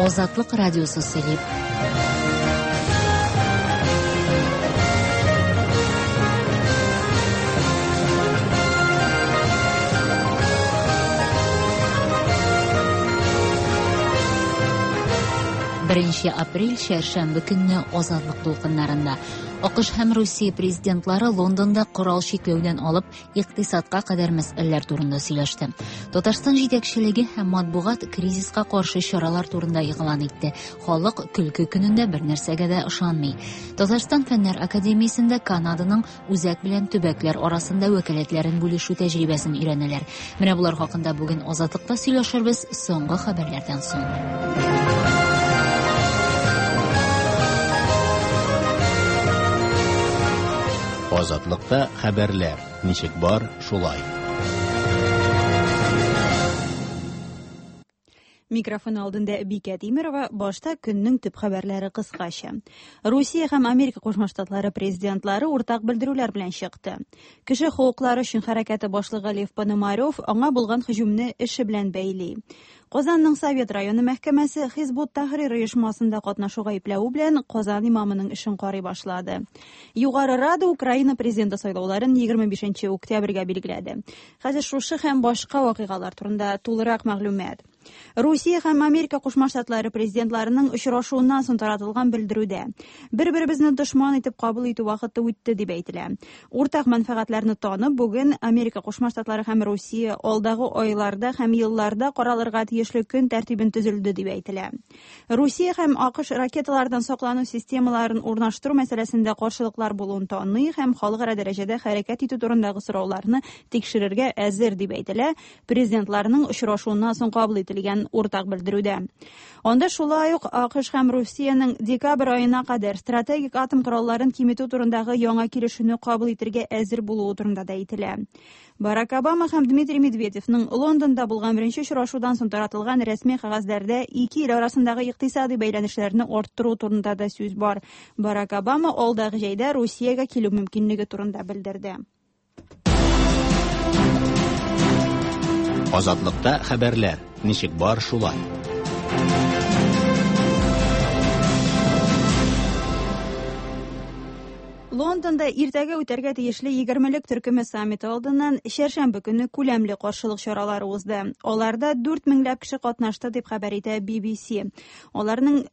Азатлык радиосы сөйли. Беренче апрель чәршәмбе көнне Азатлык дулкыннарында АКШ һәм Русия президентлары Лондонда корал чикләүдән алып икътисадка кадәр мәсьәләләр турында сөйләште. Татарстан җитәкчелеге һәм матбугат кризиска каршы чаралар турында игълан итте. Халык көлке көнендә бер нәрсәгә дә ышанмый. Татарстан Фәннәр академиясендә Канаданың үзәк белән төбәкләр арасында вәкаләтләрен бүлешү тәҗрибәсен өйрәнәләр. Менә болар хакында бүген Азатлыкта сөйләшербез соңгы хәбәрләрдән соң. Азатлыкта хәбәрләр ничек бар, шулай. Микрофон алдында Бикә Тимерова, башта көннең төп хәбәрләре кыскача. Русия һәм Америка Кушма Штатлары президентлары уртак белдерүләр белән чыкты. Кеше хокуклары өчен хәрәкәте башлыгы Лев Пономарев аңа булган һөҗүмне эше белән бәйли. Казанның Совет районы мәхкәмәсе Хизбут Тахрир оешмасында катнашу гаепләве белән Казан имамының эшен карый башлады. Югары Рада Украина президенты сайлауларын 25 октябрьгә билгеләде. Хәзер шушы һәм башка вакыйгалар турында тулырак мәгълүмат. Русия һәм Америка Кушма Штатлары президентларының очрашуыннан соң таратылган белдерүдә бер-беребезне дошман итеп кабул итү вакыты үтте дип әйтелә. Уртак мәнфәгатьләрне танып, бүген Америка Кушма Штатлары һәм Русия алдагы айларда һәм елларда каралырга тиешле көн тәртибен төзелде дип әйтелә. Русия һәм АКШ ракеталардан саклану системаларын урнаштыру мәсьәләсендә каршылыклар булуын таный һәм халыкара дәрәҗәдә хәрәкәт итү турындагы сорауларны тикшерергә әзер дип әйтелә президентларның очрашуыннан соң кабул ителгән уртак белдерүдә. Анда шулай ук АКШ һәм Русиянең декабрь аена кадәр стратегик атом коралларын киметү турындагы яңа килешүне кабул итергә әзер булуы турында да әйтелә. Барак Обама һәм Дмитрий Медведевның Лондонда булган беренче очрашудан соң таратылган рәсми кәгазьләрдә ике ил арасындагы икътисади бәйләнешләрне арттыру турында да сүз бар. Барак Обама алдагы җәйдә Русиягә килү мөмкинлеге турында белдерде. Азатлыкта хәбәрләр ничек бар шулай. Лондонда иртәгә үтәргә тиешле егермелек төркеме саммиты алдыннан чәршәмбе көне күләмле каршылык чаралары узды. Аларда 4 меңләп кеше катнашты дип хәбәр итә BBC. Аларның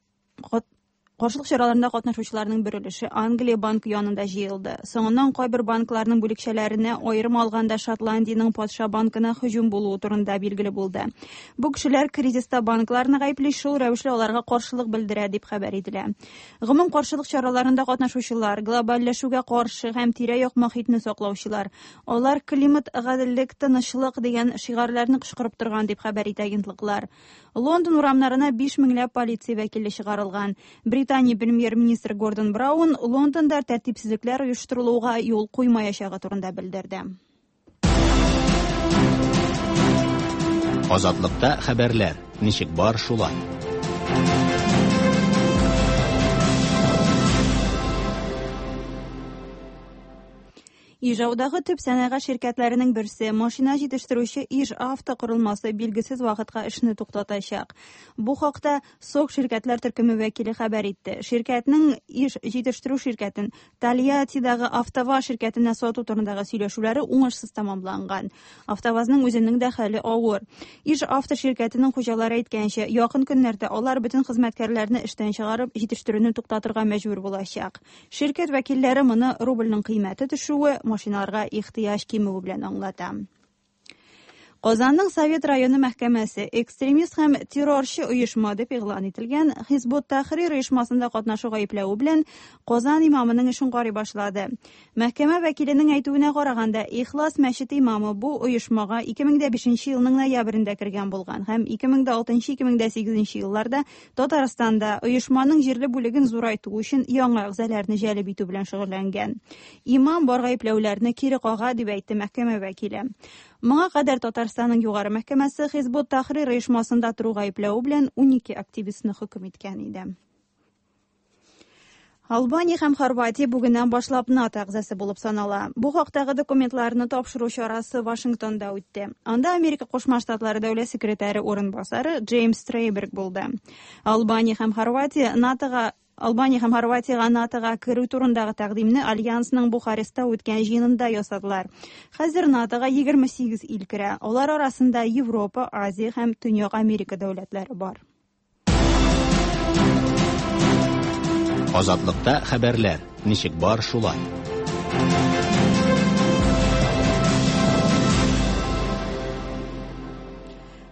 Каршылык чараларында катнашучыларның бер өлеше Англия банкы янында җыелды. Соңыннан кайбер банкларның бүлекчәләренә, аерым алганда Шотландиянең патша банкына һөҗүм булуы турында билгеле булды. Бу кешеләр кризиста банкларны гаепли, шул рәвешле аларга каршылык белдерә, дип хәбәр ителә. Гомум каршылык чараларында катнашучылар, глобальләшүгә каршы һәм тирә-як мохитне саклаучылар. Алар климат, гаделлек, тынычлык дигән шигарләрне кычкырып торган, дип хәбәр итә агентлыклар. Лондон урамнарына 5 меңләп полиция вәкиле чыгарылган. Британия премьер-министры Гордон Браун Лондонда тәртипсезлекләр оештырылуга юл куймаячагы турында белдерде. Азатлыкта хәбәрләр ничек бар шулай. Ижаудагы төп сәнәгать ширкәтләренең берсе, машина җитештерүче Иж-Авто корылмасы билгесез вакытка эшне туктатачак. Бу хакта СОК ширкәтләр төркеме вәкиле хәбәр итте. Ширкәтнең Иж җитештерү ширкәтен Тольяттидагы АвтоВАЗ ширкәтенә сату турындагы сөйләшүләре уңышсыз тәмамланган. АвтоВАЗның үзенең дә хәле авыр. Иж-Авто ширкәтенең хуҗалары әйткәнчә, якын көннәрдә алар бөтен хезмәткәрләрне эштән чыгарып, җитештерүне туктатырга мәҗбүр булачак. Ширкәт вәкилләре моны рубльнең кыйммәте төшүе, машиналарга ихтыяҗ кимүе белән аңлата. Казанның Совет районы мәхкәмәсе экстремист һәм террорчы оешма дип игълан ителгән Хизбут Тахрир оешмасында катнашу гаепләве белән Казан имамының эшен карый башлады. Мәхкәмә вәкиленең әйтүенә караганда, Ихлас мәчете имамы бу оешмага 2005 елның ноябрендә кергән булган һәм 2006-2008 елларда Татарстанда оешманың җирле бүлеген зурайту өчен яңа әгъзаларны җәлеп итү белән шөгыльләнгән. Имам бар гаепләүләрне кире кага, дип әйтте мәхкәмә вәкиле. Моңа кадәр Татарстанның Югары мәхкәмәсе Хизбут Тахрир оешмасында тору гаепләве белән 12 активистны хөкем иткән иде. Албания һәм Хорватия бүгеннән башлап НАТО әгъзасы булып санала. Бу хактагы документларны тапшыру чарасы Вашингтонда үтте. Анда Америка Кушма Штатлары дәүләт секретаре урынбасары Джеймс Трейберг булды. Албания һәм Хорватия НАТОга Албания һәм Хорватиягә НАТОга керү турындагы тәкъдимне Альянсның Бухарестта үткән җыенында ясадылар. Хәзер НАТОга 28 ил керә. Алар арасында Европа, Азия һәм Төньяк Америка дәүләтләре бар. Азатлыкта хәбәрләр, ничек бар шулай.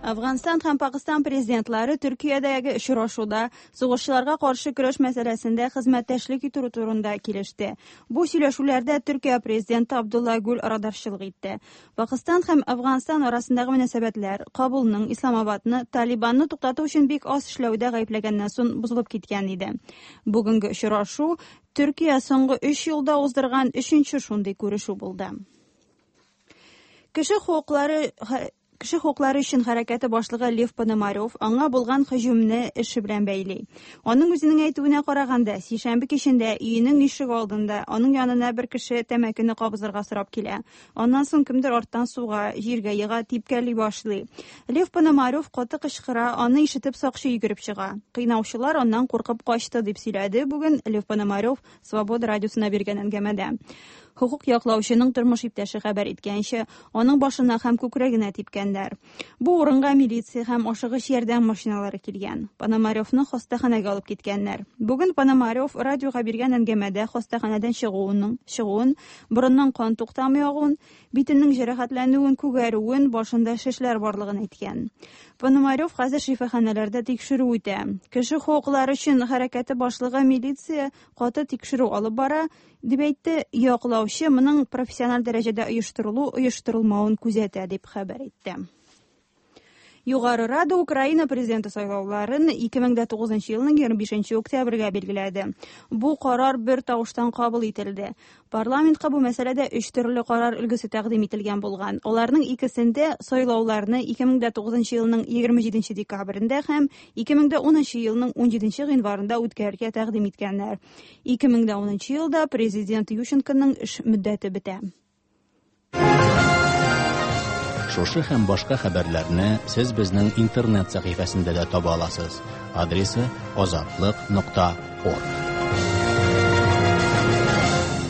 Әфганстан һәм Пакыстан президентлары Төркиядәге очрашуда сугышчыларга каршы көрәш мәсьәләсендә хезмәттәшлек итү турында килеште. Бу сөйләшүләрдә Төркия президенты Абдулла Гүл арадарчылык итте. Пакыстан һәм Әфганстан арасындагы мөнәсәбәтләр Кабулның Исламабадны Талибанны туктату өчен бик аз эшләүдә гаепләгәннән соң бозылып киткән иде. Бүгенге очрашу Төркия соңгы 3 елда уздырган өченче шундый күрешү булды. Кеше хокуклары Кеше хокуклары өчен хәрәкәте башлыгы Лев Пономарев аңа булган һөҗүмне эше белән бәйли. Аның үзенең әйтүенә караганда, сишәмбе кичендә өенең ишек алдында аның янына бер кеше тәмәкене кабызырга сорап килә. Аннан соң кемдер арттан суга, җиргә ега, типкәли башлый. Лев Пономарев каты кычкыра, аны ишетеп сакчы йөгереп чыга. Кыйнаучылар аннан куркып качты дип сөйләде бүген Лев Пономарев Свобода радиосына биргән әңгәмәдә. Хокук яклаучының тормыш иптәше хәбәр иткәнчә, аның башына һәм күкрәгенә типкәннәр. Бу урынга милиция һәм ашыгыч ярдәм машиналары килгән. Пономаревны хастаханәгә алып киткәннәр. Бүген Пономарев радиога биргән әңгәмәдә хастаханәдән чыгуын, борыннан кан туктамый агуын, битенең җәрәхәтләнүен, күгәрүен, башында шешләр барлыгын әйткән. Пономарев хәзер шифаханәләрдә тикшерү үтә. Кеше хокуклары өчен хәрәкәте башлыгы милиция каты тикшерү алып бара, дип әйтте. Яклаучы моның профессиональ дәрәҗәдә оештырылу, оештырылмавын күзәтә, дип хәбәр итте. Югары Рада Украина президенты сайлауларын 2009 елның 25 октябрьгә билгеләде. Бу карар бер тавыштан кабул ителде. Парламентка бу мәсьәләдә өч төрле карар өлгесе тәкъдим ителгән булган. Аларның икесендә сайлауларны 2009 елның 27 декабрендә һәм 2010 елның 17 гыйнварында үткәрергә тәкъдим иткәннәр. 2010 елда президент Ющенконың эш мөддәте бетә. Шушы һәм башка хәбәрләрне сез безнең интернет сәхифәсендә дә таба аласыз. Адресы azatliq.org.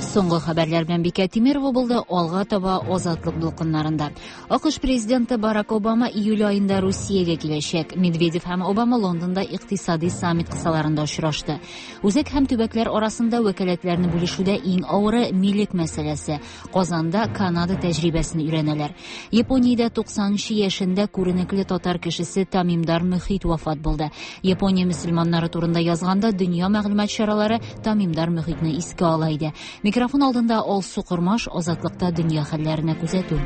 Соңгы хәбәрләр белән Бикә Тимирова булды. Алга таба Азатлык дулкыннарында. АКШ президенты Барак Обама июль аенда Русиягә киләчәк. Медведев һәм Обама Лондонда икътисади саммит кысаларында очрашты. Үзәк һәм төбәкләр арасында вәкаләтләрне бүлешүдә иң авыры милек мәсьәләсе. Казанда Канада тәҗрибәсен өйрәнәләр. Япониядә 90 яшендә күренекле татар кешесе Тамимдар Мөхит вафат булды. Япония мөселманнары турында язганда дөнья мәгълүмат чаралары Тамимдар Мөхитне искә ала иде. Микрофон алдында Алсу Кормаш, Азатлыкта дөнья хәлләренә күзәтү.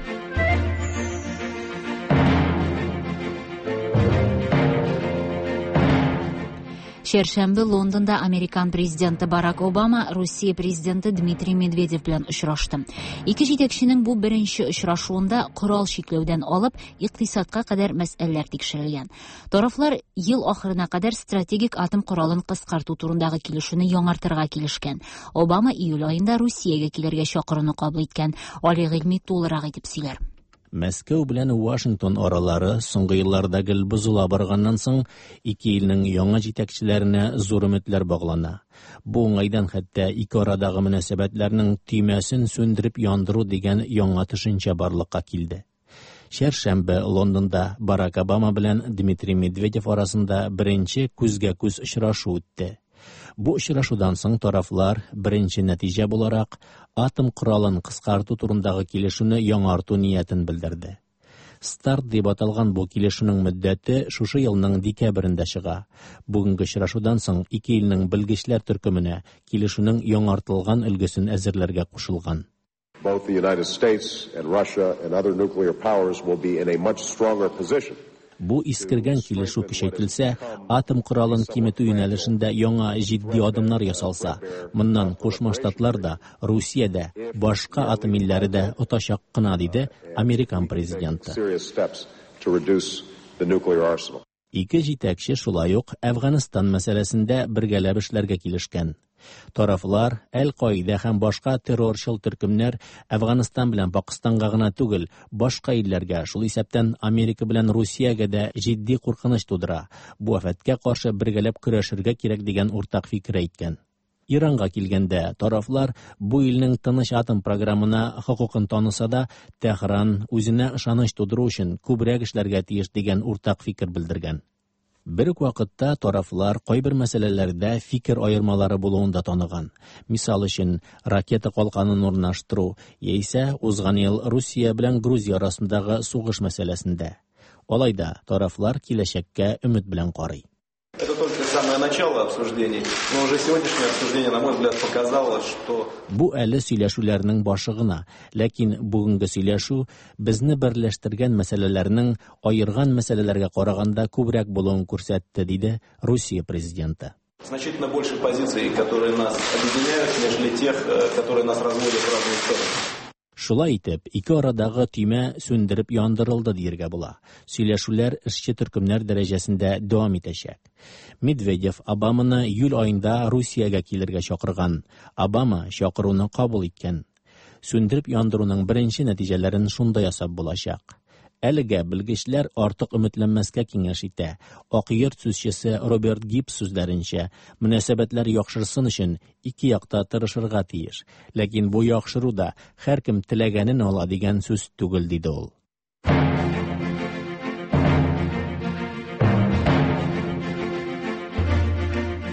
Чәршәмбе Лондонда Американ президенты Барак Обама Русия президенты Дмитрий Медведев белән очрашты. Ике җитәкченең бу беренче очрашуында корал чикләүдән алып икътисадка кадәр мәсьәләләр тикшерелгән. Тарафлар ел ахырына кадәр стратегик атом коралын кыскарту турындагы килешүне яңартырга килешкән. Обама июль аенда Русиягә килергә чакыруны кабул иткән. Али Гыйльми тулырак итеп сөйләр. Мәскәү белән Вашингтон аралары соңгы елларда гел бозыла барганнан соң ике илнең яңа җитәкчеләренә зур өметләр баглана. Бу уңайдан хәтта ике арадагы мөнәсәбәтләрнең төймәсен сүндереп яндыру дигән яңа төшенчә барлыкка килде. Чәршәмбе Лондонда Барак Обама белән Дмитрий Медведев арасында беренче күзгә-күз очрашу үтте. Бу очрашудан соң тарафлар беренче нәтиҗә буларак атом коралын кыскарту турындагы килешүне яңарту ниятен белдерде. Старт дип аталган бу килешүнең мөддәте шушы елның декабрендә чыга. Бүгенге очрашудан соң ике илнең белгечләр төркеменә килешүнең яңартылган өлгесен әзерләргә кушылган. Both the United States and Russia and other nuclear powers will be in a much stronger position. Бу искергән килешү көчәйтелсә, атом коралын киметү юнәлешендә яңа җитди адымнар ясалса, моннан Кушма Штатлар да, Русия дә, башка атом илләре дә отачак кына, диде Американ президенты. Ике җитәкче шулай ук Әфганстан мәсьәләсендә бергәләп эшләргә килешкән. Тарафлар Әл-Каида һәм башка террорчыл төркемнәр Әфганстан белән Пакыстанга гына түгел, башка илләргә, шул исәптән Америка белән Русиягә дә җитди куркыныч тудыра. Бу афәткә каршы бергәләп көрәшергә кирәк дигән уртак фикер әйткән. Иранга килгәндә, тарафлар бу илнең тыныч атом програмына хокукын таныса да, Тәһран үзенә ышаныч тудыру өчен күбрәк эшләргә тиеш дигән уртак фикер белдергән. Бер үк вакытта тарафлар кайбер мәсьәләләрдә фикер аермалары булуын да таныган. Мисал өчен, ракета калканын урнаштыру яисә узган ел Русия белән Грузия арасындагы сугыш мәсьәләсендә. Алай да тарафлар киләчәккә өмет белән карый. Это только самое начало обсуждений, но уже сегодняшнее обсуждение, на мой взгляд, показало, что... Бу әле сөйләшүләрнең башы гына, ләкин бүгенге сөйләшү безне берләштергән мәсьәләләрнең аерган мәсьәләләргә караганда күбрәк булуын күрсәтте, диде Русия президенты. Значительно больше позиций, которые нас объединяют, нежели тех, которые нас разводят в разные стороны. Шулай итеп, ике арадагы төймә сүндереп яндырылды дияргә була. Сөйләшүләр эшче төркемнәр дәрәҗәсендә дәвам итәчәк. Медведев Обаманы июль аенда Русиягә килергә чакырган. Обама чакыруны кабул иткән. Сүндереп яндыруның беренче нәтиҗәләрен шунда ясап булачак. Әлегә белгечләр артык өметләнмәскә киңәш итә. Ак йорт сүзчесе Роберт Гибс сүзләренчә, мөнәсәбәтләр яхшырсын өчен ике якта тырышырга тиеш. Ләкин бу яхшыру да һәркем теләгәнен ала дигән сүз түгел, диде ул.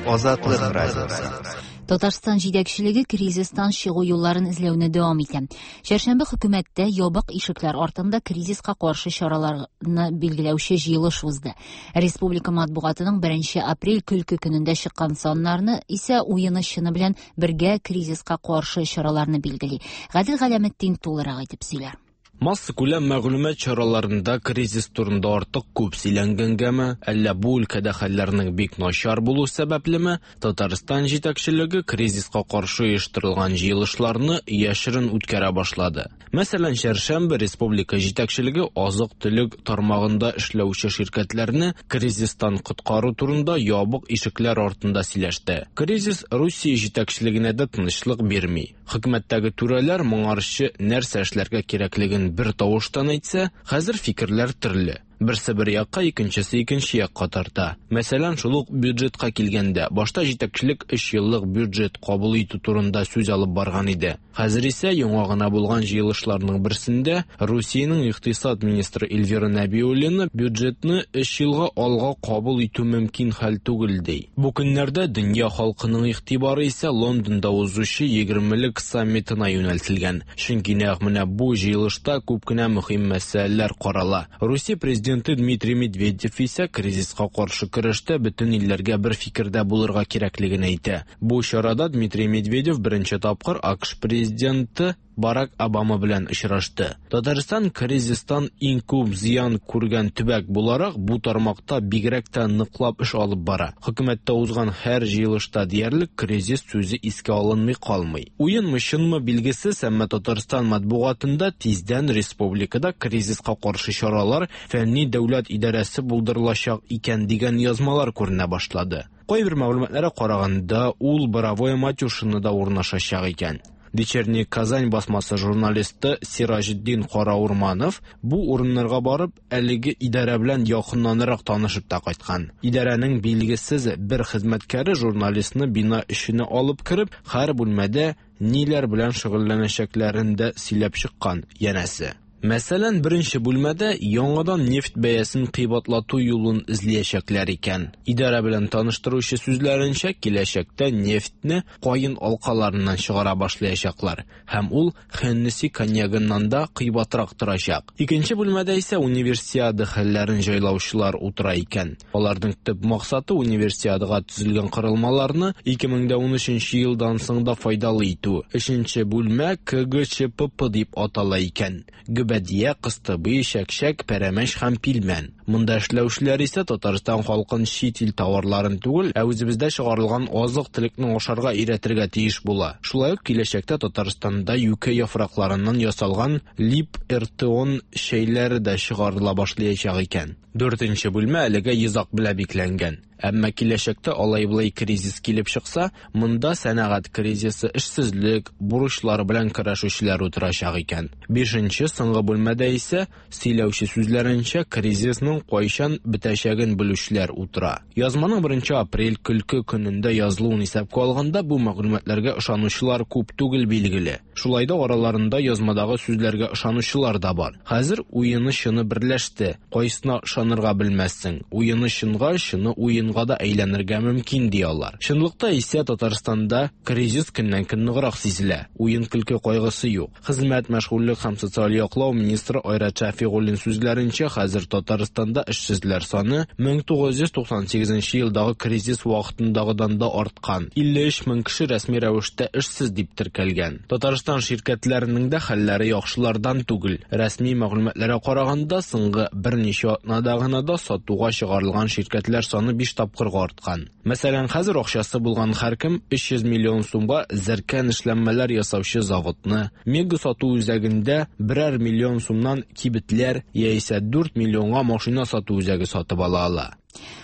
Азатлык радиосы. Татарстан җитәкчелеге кризистан чыгу юлларын эзләүне дәвам итә. Чәршәмбе хөкүмәттә ябык ишекләр артында кризиска каршы чараларны билгеләүче җыелыш узды. Республика матбугатының 1 апрель көлке көнендә чыккан саннарны исә уены чыны белән бергә кризиска каршы чараларны билгели. Гадел Галәметдин тулырак итеп сөйләр. Массакүләм мәгълүмат чараларында кризис турында артык күп сөйләнгәнгәме, әллә бу өлкәдә хәлләрнең бик начар булу сәбәплеме, Татарстан җитәкчелеге кризиска каршы оештырылган җыелышларны яшерен үткәрә башлады. Мәсәлән, чәршәмбе республика җитәкчелеге азык-төлек тармагында эшләүче ширкәтләрне кризистан коткару турында ябык ишекләр артында сөйләште. Кризис Русия җитәкчелегенә дә тынычлык бирми. Хөкүмәттәге түрәләр моңарчы нәрсә эшләргә кирәклеген бер тавыштан әйтсә, хәзер фикерләр төрле. Берсе бер якка, икенчесе икенче якка тарта. Мәсәлән, шул ук бюджетка килгәндә, башта җитәкчелек 3 еллык бюджет кабул итү турында сүз алып барган иде. Хәзер исә яңа гына булган җыелышларның берсендә Русиянең икътисад министры Эльвира Нәбиуллина бюджетны 3 елга алга кабул итү мөмкин хәл түгел ди. Бу көннәрдә дөнья халкының игътибары исә Лондонда узучы 20-лек саммитына юнәлтелгән. Чөнки нәкъ менә бу җыелышта күп кенә мөһим мәсьәләләр карала. Русия президенты Дмитрий Медведев исә кризиска каршы көрәштә бөтен илләргә бер фикердә булырга кирәклеген әйтә. Бу чарада Дмитрий Медведев беренче тапкыр АКШ президенты Барак Обама белән очрашты. Татарстан кризистан иң күп зыян күргән төбәк буларак бу тармакта бигрәк тә ныклап эш алып бара. Хөкүмәттә узган һәр җыелышта диярлек кризис сүзе искә алынмый калмый. Уенмы чынмы билгесез, әмма Татарстан матбугатында тиздән республикада кризиска каршы чаралар фәнни дәүләт идарәсе булдырылачак икән дигән язмалар күренә башлады. Кайбер мәгълүматларга караганда, ул Боровое Матюшинода урнашачак икән. Вечерний Казань басмасы журналисты Сираҗетдин Караурманов бу урыннарга барып, әлеге идарә белән якыннанрак танышып та кайткан. Идарәнең билгесез бер хезмәткәре журналистны бина эченә алып кереп, һәр бүлмәдә ниләр белән шөгыльләнәчәкләрен дә сөйләп чыккан, янәсе. Мәсәлән, беренче бүлмәдә яңадан нефть бәясен кыйбатлату юлын эзләячәкләр икән. Идарә белән таныштыручы сүзләренчә, киләчәктә нефтьне каен алкаларыннан чыгара башлаячаклар һәм ул Хеннесси коньягыннан да кыйбатрак торачак. Икенче бүлмәдә исә универсиада хәлләрен җайлаучылар утыра икән. Аларның төп максаты универсиадага төзелгән корылмаларны 2013 елдан соң да файдалы итү. Өченче бүлмә КГЧПП дип атала икән. Гөбәдия, кыстыбый, чәкчәк, пәрәмәч һәм пилмән. Монда эшләүчеләр исә Татарстан халкын чит ил товарларын түгел, ә үзебездә чыгарылган азык-төлекне ашарга өйрәтергә тиеш була. Шулай ук киләчәктә Татарстанда юкә яфракларыннан ясалган Лип-Эртеон чәйләре дә чыгарыла башлаячак икән. Дүртенче бүлмә әлегә йозак белән бикләнгән. Әмма киләчәктә алай-болай кризис килеп чыкса, монда сәнәгать кризисы, эшсезлек, бурычлар белән көрәшүчеләр утырачак икән. Бишенче, соңгы бүлмәдә исә, сөйләүче сүзләренчә, кризисның кайчан бетәчәген белүчеләр утыра. Язманың 1 апрель көлке көнендә язылуын исәпкә алганда, бу мәгълүматларга ышанучылар күп түгел, билгеле. Шулай да араларында язмадагы сүзләргә ышанучылар да бар. Хәзер уены чыны берләште. Кайсына ышанырга белмәссең. Уены чынга, чыны уенга да әйләнергә мөмкин, ди алар. Чынлыкта исә Татарстанда кризис көннән-көн ныграк сизелә. Уен-көлке кайгысы юк. Хезмәт, мәшгульлек һәм социаль яклау министры Айрат Шәфигуллин сүзләренчә, хәзер Татарстанда эшсезләр саны 1998 елдагы кризис вакытындагыдан да арткан. 53 мең кеше рәсми рәвештә эшсез дип теркәлгән. Татарстан ширкәтләренең дә хәлләре яхшылардан түгел. Рәсми мәгълүматларга караганда, соңгы берничә атнада гына да сатуга чыгарылган ширкәтләр саны 5 тапкырга арткан. Мәсәлән, хәзер акчасы булган һәркем 300 миллион сумга зәркән эшләнмәләр ясаучы заводны, Мега сату үзәгендә берәр миллион сумнан кибетләр яисә 4 миллионга машина сату үзәге сатып ала ала.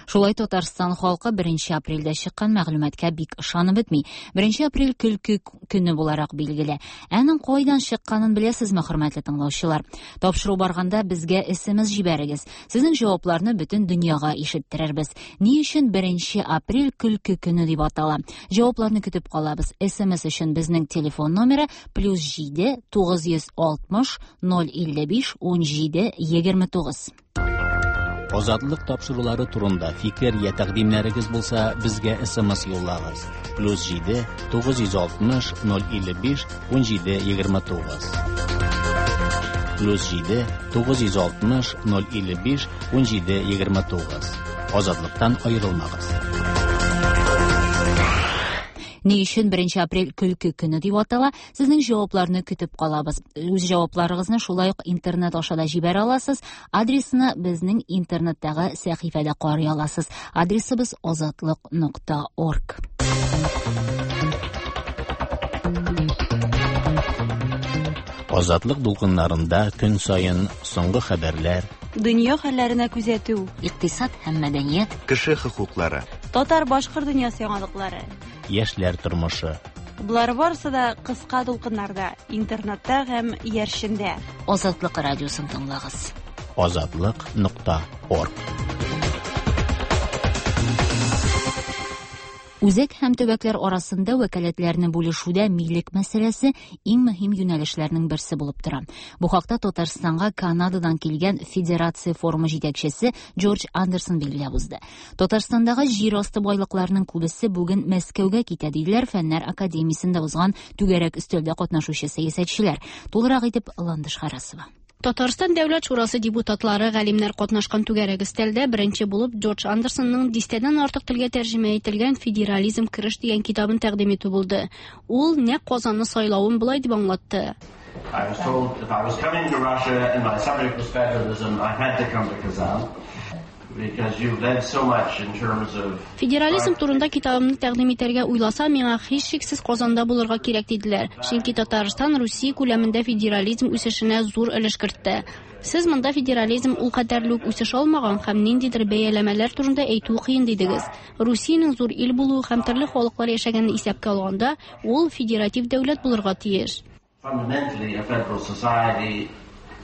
Шулай Татарстан халкы 1 апрельдә чыккан мәгълүматка бик ышанып бетми. 1 апрель көлке көне буларак билгеле. Аның кайдан чыкканын беләсезме, хөрмәтле тыңлаучылар? Тапшыру барганда безгә SMS җибәрегез. Сезнең җавапларны бөтен дөньяга ишеттерербез. Ни өчен 1 апрель көлке көне дип атала? Җавапларны көтеп калабыз. SMS өчен безнең телефон номеры +7 960 055 17 29. Азатлык тапшырулары турында фикер я тәкъдимнәрегез булса, безгә SMS юллагыз. +7 960 055 17 29. +7 960 055 17 29. Азатлыктан аерылмагыз. Ни өчен 1 апрель көлке көне дип атала? Сезнең җавапларны көтеп калабыз. Үз җавапларыгызны шулай ук интернет аша да җибәрә аласыз. Адресны безнең интернеттагы сәхифәдә карый аласыз. Адресыбыз азатлык.org. Азатлык дулкыннарында көн саен соңгы хәбәрләр, Дөнья хәлләренә күзәтү, икътисад һәм мәдәният, Кеше хокуклары. Татар-башкорт дөньясы яңалыклары. Яшьләр тормышы. Болар барысы да кыска дулкыннарда, интернетта һәм иярчендә. Азатлык радиосын тыңлагыз. Азатлык.орг. Үзәк һәм төбәкләр арасында вәкаләтләрне бүлешүдә милек мәсьәләсе иң мөһим юнәлешләрнең берсе булып тора. Бу хакта Татарстанга Канададан килгән Федерация форумы җитәкчесе Джордж Андерсон билгеләп узды. Татарстандагы җир асты байлыкларының күбесе бүген Мәскәүгә китә, диделәр Фәннәр академиясендә узган түгәрәк өстәлдә катнашучы сәясәтчеләр. Тулырак итеп Ландыш Харасова. Татарстан Дәүләт шурасы депутатлары галимнәр катнашкан түгәрәк өстәлдә беренче булып Джордж Андерсонның дистәдән артык телгә тәрҗемә ителгән Федерализм кереш дигән китабын тәкъдим итү булды. Ул нәкъ Казанны сайлавын болай дип аңлатты. I was told if I was coming to Russia and my subject was federalism, I had to come to Kazan because you've led so much in terms of Федерализм турында китабымны тәкъдим итәргә уйласам, миңа һичшиксез Казанда булырга кирәк диделәр. Чөнки Татарстан Русия күләмендә федерализм үсешенә зур өлеш кертте. Сез монда федерализм ул кадәрле үк үсеш алмаган һәм ниндидер бәяләмәләр турында әйтү кыен дидегез. Русиянең зур ил булуы һәм төрле халыклар яшәгәнен исәпкә алганда, ул федератив дәүләт булырга тиеш. fundamentally a federal society,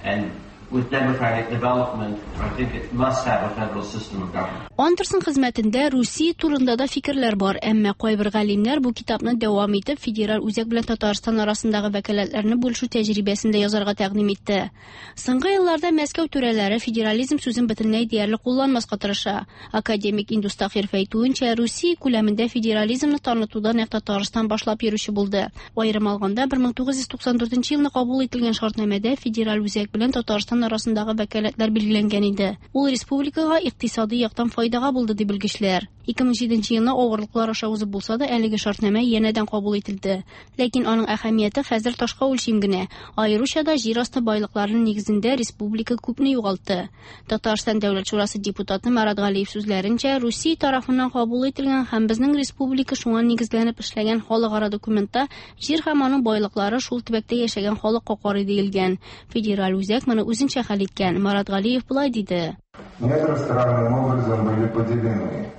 and with democratic development, I think it must have a federal system of government. Андерсон хезмәтендә Русия турында да фикерләр бар, әмма кайбер галимнәр бу китапны дәвам итеп федераль үзәк белән Татарстан арасындагы вәкаләтләрне бүлешү тәҗрибәсен дә язарга тәкъдим итте. Соңгы елларда Мәскәү түрәләре федерализм сүзен бөтенләй диярлек кулланмаска тырыша. Академик Индус Тахиров әйтүенчә, Русия күләмендә федерализмны танытуда нәкъ Татарстан башлап йөрүче булды. Аерым алганда, 1994 елны кабул ителгән шартнамәдә федераль үзәк белән Татарстан арасындагы вәкаләтләр билгеләнгән иде. Ул республикага икътисади яктан файдага булды, ди белгечләр. 2007 елны авырлыклар аша узып булса да, әлеге шартнамә янәдән кабул ителде. Ләкин аның әһәмияте хәзер ташка үлчим генә. Аеруча да җир асты байлыкларының нигезендә республика күпне югалтты. Татарстан Дәүләт шурасы депутаты Марат Галиев сүзләренчә, Русия тарафыннан кабул ителгән һәм безнең республика шуңа нигезләнеп эшләгән халыкара документта җир һәм аның байлыклары шул төбәктә яшәгән халыкка карый диелгән. Федераль үзәк моны үзенчә хәл иткән. Марат Галиев болай диде. Недра странным образом были поделены.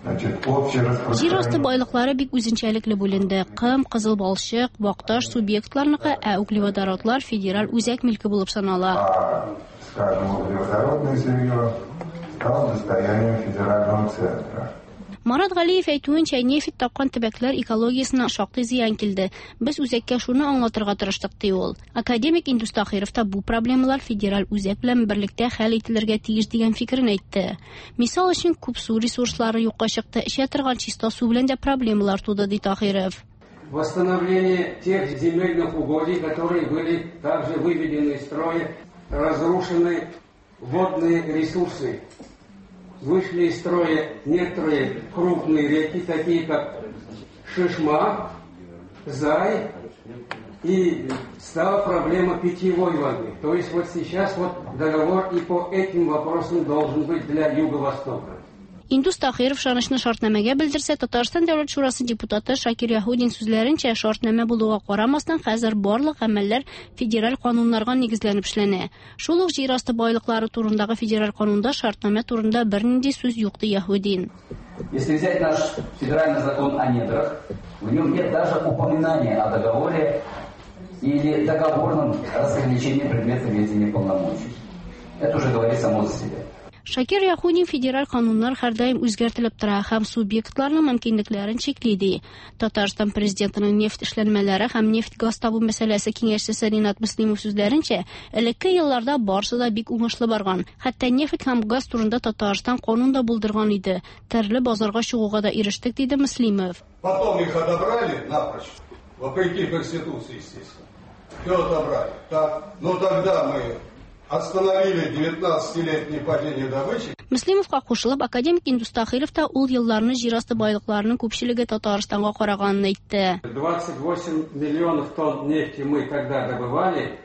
Значит, общее Җир асты байлыклары бик үзенчәлекле бүленде. Кым, кызыл балчык, вакташ субъектларныкы, ә углеводородлар федераль үзәк милке булып санала. Скажем, углеводородное сырье стало достоянием федерального центра. Марат Галиев әйтүенчә, нефть тапкан төбәкләр экологиясенә шактый зыян килде. Без үзәккә шуны аңлатырга тырыштык, ди ул. Академик Индус Тахиров та бу проблемалар федераль үзәк белән берлектә хәл ителергә тиеш дигән фикерен әйтте. Мисал өчен, күп су ресурслары юкка чыкты, эчә торган чиста су белән дә проблемалар туды, ди Тахиров. Восстановление тех земельных угодий, которые были также выведены из строя, разрушены водные ресурсы. Вышли из строя некоторые крупные реки, такие как Шишма, Зай, и стала проблема питьевой воды. То есть вот сейчас вот договор и по этим вопросам должен быть для Юго-Востока. Индус Тахиров ышанычны шартнамәгә белдерсә, Татарстан Дәүләт шурасы депутаты Шакир Яһудин сүзләренчә, шартнамә булуга карамастан, хәзер барлык гамәлләр федераль кануннарга нигезләнеп эшләнә. Шул ук җир асты байлыклары турындагы федераль канунда шартнамә турында бернинди сүз юк, ди Яһудин. Если взять наш федеральный закон о недрах, в нем нет даже упоминания о договоре или договорном разграничении предмета ведения полномочий. Это уже говорит само за себя. Шакир Яхудин федераль кануннар һәрдаим үзгәртелеп тора һәм субъектларның мөмкинлекләрен чикли ди. Татарстан президентының нефть эшләнмәләре һәм нефть-газ табу мәсьәләсе киңәшчесе Ринат Мөслимов сүзләренчә, элекке елларда барысы да бик уңышлы барган. Хәтта нефть һәм газ турында Татарстан канун да булдырган иде. Төрле базарга чыгуга да ирештек, диде Мөслимов. Потом их отобрали напрочь, вопреки Конституции, естественно. Все отобрали. Так? Но тогда мы остановили 19-летнее падение добычи. Мөслимовка кушылып, академик Индус Тахиров та ул елларны җир асты байлыкларының күпчелеге Татарстанга караганын әйтте. 28 миллионов тонн нефти мы тогда добывали,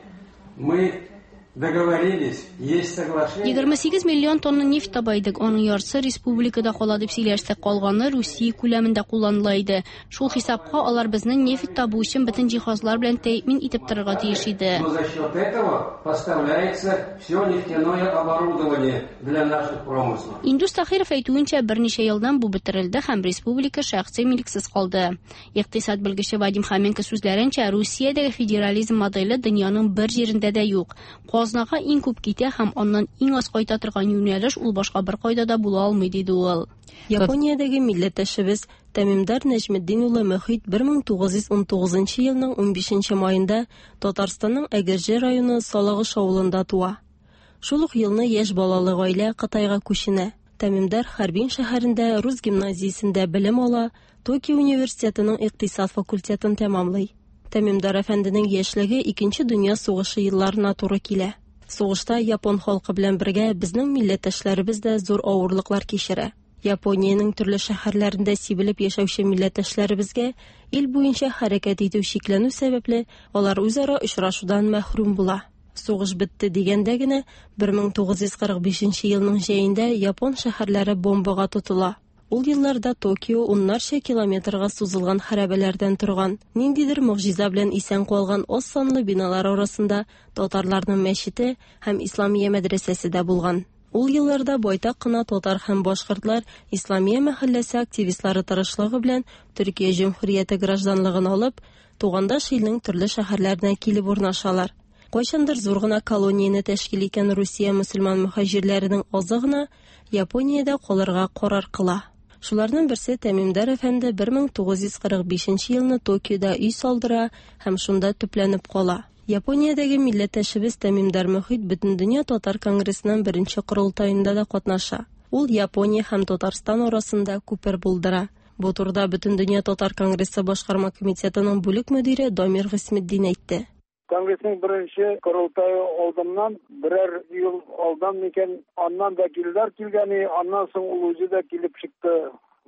мы договорились, есть соглашение. 28 миллион тонна нефть таба идек, аның яртысы республикада кала дип сөйләштек, калганы Русия күләмендә кулланыла иде. Шул хисапка алар безне нефть табу өчен бөтен җиһазлар белән тәэмин итеп торырга тиеш иде. Но за счет этого поставляется все нефтяное оборудование для наших промыслов. Индус Тахиров әйтүенчә, берничә елдан бу бетерелде һәм республика шәхси милексез калды. Икътисад белгече Вадим Хоменко сүзләренчә, Русиядәге федерализм моделе дөньяның бер җирендә дә юк. Казнага иң күп китә һәм аннан иң аз кайта торган юнәлеш ул башка бер кайда да була алмый, диде ул. Япониядәге милләттәшебез Тәмимдар Нәҗметдин улы Мөхит 1919 елның 15 маенда Татарстанның Әгерҗе районы Салагыш авылында туа. Шул ук елны яшь балалы гаилә Кытайга күченә. Тәмимдар Харбин шәһәрендә рус гимназиясендә белем ала, Токио университетының икътисад факультетын тәмамлый. Тәмимдар әфәнденең яшьлеге Икенче дөнья сугышы елларына туры килә. Сугышта япон халкы белән бергә безнең милләттәшләребез дә зур авырлыклар кичерә. Япониянең төрле шәһәрләрендә сибелеп яшәүче милләттәшләребезгә ил буенча хәрәкәт итү чикләнү сәбәпле, алар үзара очрашудан мәхрүм була. Сугыш бетте дигәндә генә 1945 елның җәендә япон шәһәрләре бомбага тотыла. Ул елларда Токио уннарча километрга сузылган хәрабәләрдән торган. Ниндидер могҗиза белән исән калган аз санлы биналар арасында татарларның мәчете һәм Исламия мәдрәсәсе дә булган. Ул елларда байтак кына татар һәм башкортлар Исламия мәхәлләсе активистлары тырышлыгы белән Төркия Җөмһүрияте гражданлыгын алып, тугандаш илнең төрле шәһәрләренә килеп урнашалар. Кайчандыр зур гына колонияне тәшкил иткән Русия мөселман мөһаҗирләренең азы гына Япониядә калырга карар кыла. Шуларның берсе Тәмимдар әфәнде 1945 елны Токиода өй салдыра һәм шунда төпләнеп кала. Япониядәге милләттәшебез Тәмимдар Мөхит Бөтендөнья татар конгрессының беренче корылтаенда да катнаша. Ул Япония һәм Татарстан арасында күпер булдыра. Бу турыда Бөтендөнья татар конгрессы башкарма комитетының бүлек мөдире Дамир Гыйсметдин әйтте. Конгрессның беренче корылтае алдыннан берәр ел алдан микән, аннан вәкилләр килгән, аннан соң ул үзе дә килеп чыкты.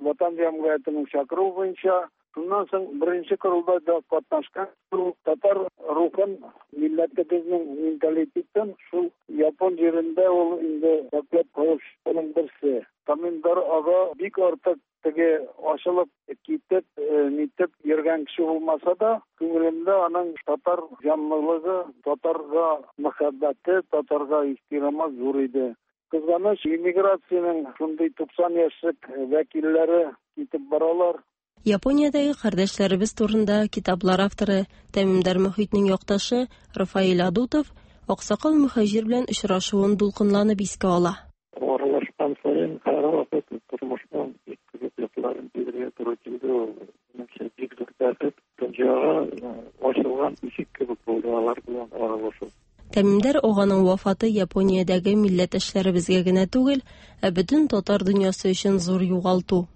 Ватан җәмгыятенең чакыруы буенча. Шуннан соң беренче корылтайда катнашкан. Шул татар рухын, милләтебезнең менталитетын шул япон җирендә ул инде саклап калучының берсе. Тамимдар ага бик артык теге ачылып китеп, нитеп йөргән кеше булмаса да, күңелендә аның татар җанлылыгы, татарга мәхәббәте, татарга ихтирамы зур иде. Кызганыч, иммиграциянең шундый 90 яшьлек вәкилләре китеп баралар. Япониядәге кардәшләребез турында китаплар авторы Тәмимдар Мөхитнең якташы Рафаэль Адутов аксакал мөхаҗир белән очрашуын дулкынланып искә ала. Аралашкан саен һәрвакыт тормышның бик кызык якларын белергә туры килде. Ул минемчә бик зур бәхет, дөньяга ачылган ишек кебек булды алар белән аралашу. Тәмимдар аганың вафаты Япониядәге милләттәшләребезгә генә түгел, ә бөтен татар дөньясы өчен зур югалту.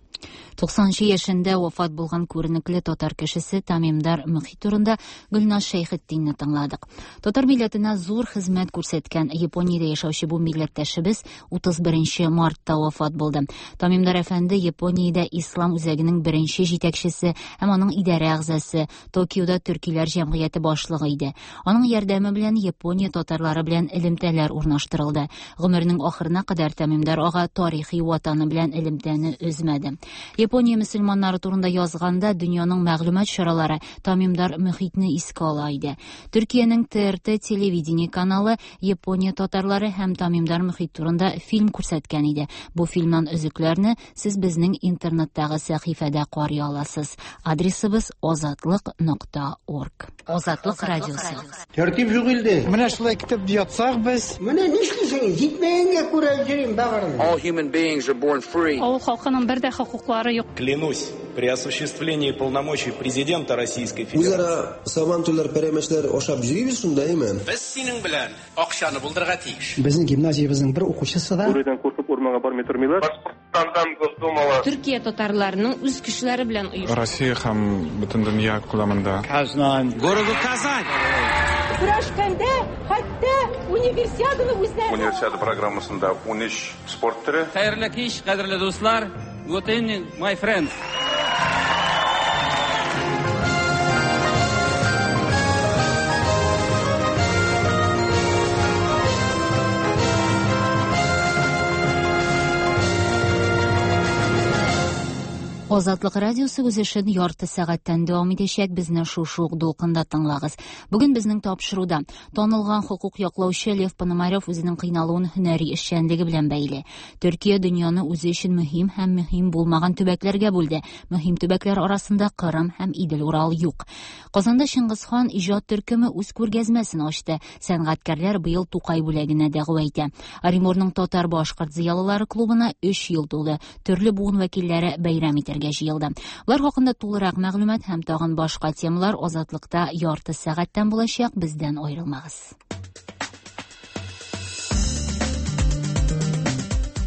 90 яшендә вафат булган күренекле татар кешесе Тамимдар Мөхит турында Гөлназ Шәйхетдинне тыңладык. Татар милләтенә зур хезмәт күрсәткән Япониядә яшәүче бу милләттәшебез 31 мартта вафат булды. Тамимдар әфәнде Япониядә Ислам үзәгенең беренче җитәкчесе һәм аның идарә әгъзасы, Токиода төркиләр җәмгыяте башлыгы иде. Аның ярдәме белән Япония татарлары белән элемтәләр урнаштырылды. Гомеренең ахырына кадәр Тамимдар ага тарихи ватаны белән элемтәне өзмәде. Япония мөселманнары турында язганда дөньяның мәгълүмат чаралары Тамимдар Мөхитне искә ала иде. Төркиянең ТРТ телевидение каналы Япония татарлары һәм Тамимдар Мөхит турында фильм күрсәткән иде. Бу фильмнан өзекләрне сез безнең интернеттагы сәхифәдә карый аласыз. Адресыбыз azatliq.org. Азатлык радиосы. Тәртип юк илдә. Менә шулай көтеп ятсак без. Менә нишлисең? Җитмәгәнгә күрә йөрим бәгырем. All human beings are born free. Авыл халкының бер дә хокуклары юк. Клянусь, при осуществлении полномочий президента Российской Федерации. Үзара сабантуйлар, пәрәмәчләр ашап йөрибез шунда, әйме? Без синең белән акчаны булдырырга тиеш. Безнең гимназиябезнең бер укучысы да Бүредән куркып урманга бармый тормыйлар. Башкортстандан Госдумала. Төркия татарларының үз кешеләре белән оешты. Россия һәм бөтен дөнья күләмендә. Казан. Городу Казань. Көрәшкәндә хәтта универсиаданы үзләре. Универсиада программасында 13 спорт төре. Хәерле кич, кадерле дуслар. Good evening, my friends. Азатлык радиосы үз эшен ярты сәгатьтән дәвам итәчәк. Безне шушы ук дулкында тыңлагыз. Бүген безнең тапшыруда танылган хокук яклаучы Лев Пономарев үзенең кыйналуын һөнәри эшчәнлеге белән бәйле. Төркия дөньяны үзе өчен мөһим һәм мөһим булмаган төбәкләргә бүлде. Мөһим төбәкләр арасында Кырым һәм Идел-Урал юк. Казанда Чингисхан иҗат төркеме үз күргәзмәсен ачты. Сәнгатькәрләр быел Тукай бүләгенә дәгъва итә. Оренбургның татар-башкорт зыялылары клубына 3 ел тулды. Төрле буын вәкилләре бәйрәм итәргә җыелды. Болар хакында тулырак мәгълүмат һәм тагын башка темалар Азатлыкта ярты сәгатьтән булачак. Бездән аерылмагыз.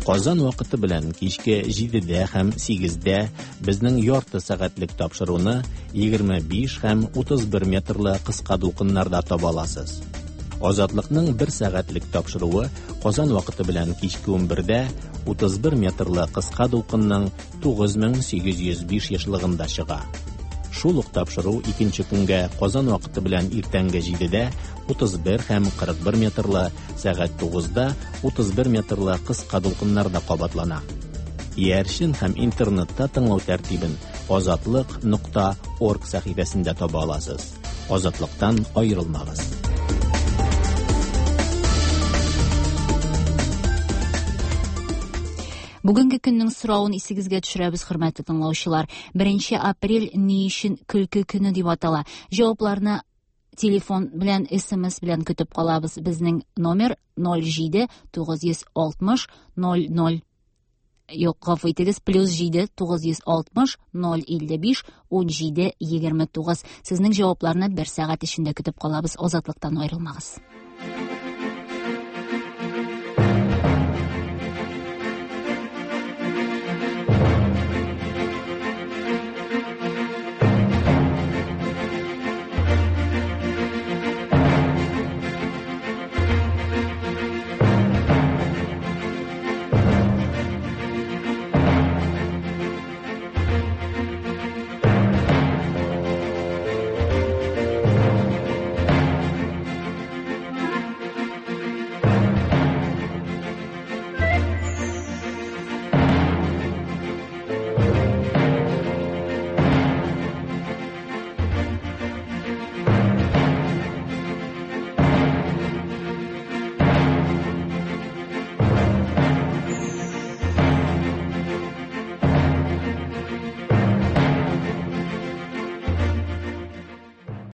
Казан вакыты белән кичке 7-дә һәм 8-дә безнең ярты сәгатьлек тапшыруны 25 һәм 31 метрлы кыска дулкыннарда таба аласыз. Азатлыкның бер сәгатьлек тапшыруы Казан вакыты белән кичке 11-дә 31 метрлы кыска дулкынның 9805 ешлыгында чыга. Шул ук тапшыру икенче көнгә Казан вакыты белән иртәнге 7-дә 31 һәм 41 метрлы, сәгать 9-да 31 метрлы кыска дулкыннарда кабатлана. Иярчен һәм интернетта тыңлау тәртибен azatliq.org сәхифәсендә таба аласыз. Азатлыктан аерылмагыз. Бүгенге көннең соравын исегезгә төшерәбез, хөрмәтле тыңлаучылар. 1 апрель ни өчен көлке көне дип атала? Җавапларны телефон белән, SMS белән көтеп калабыз. Безнең номер 07 960 00. Юк, гафу итегез, плюс 7 960 055 17 29. Сезнең җавапларны бер сәгать эчендә көтеп калабыз. Азатлыктан аерылмагыз.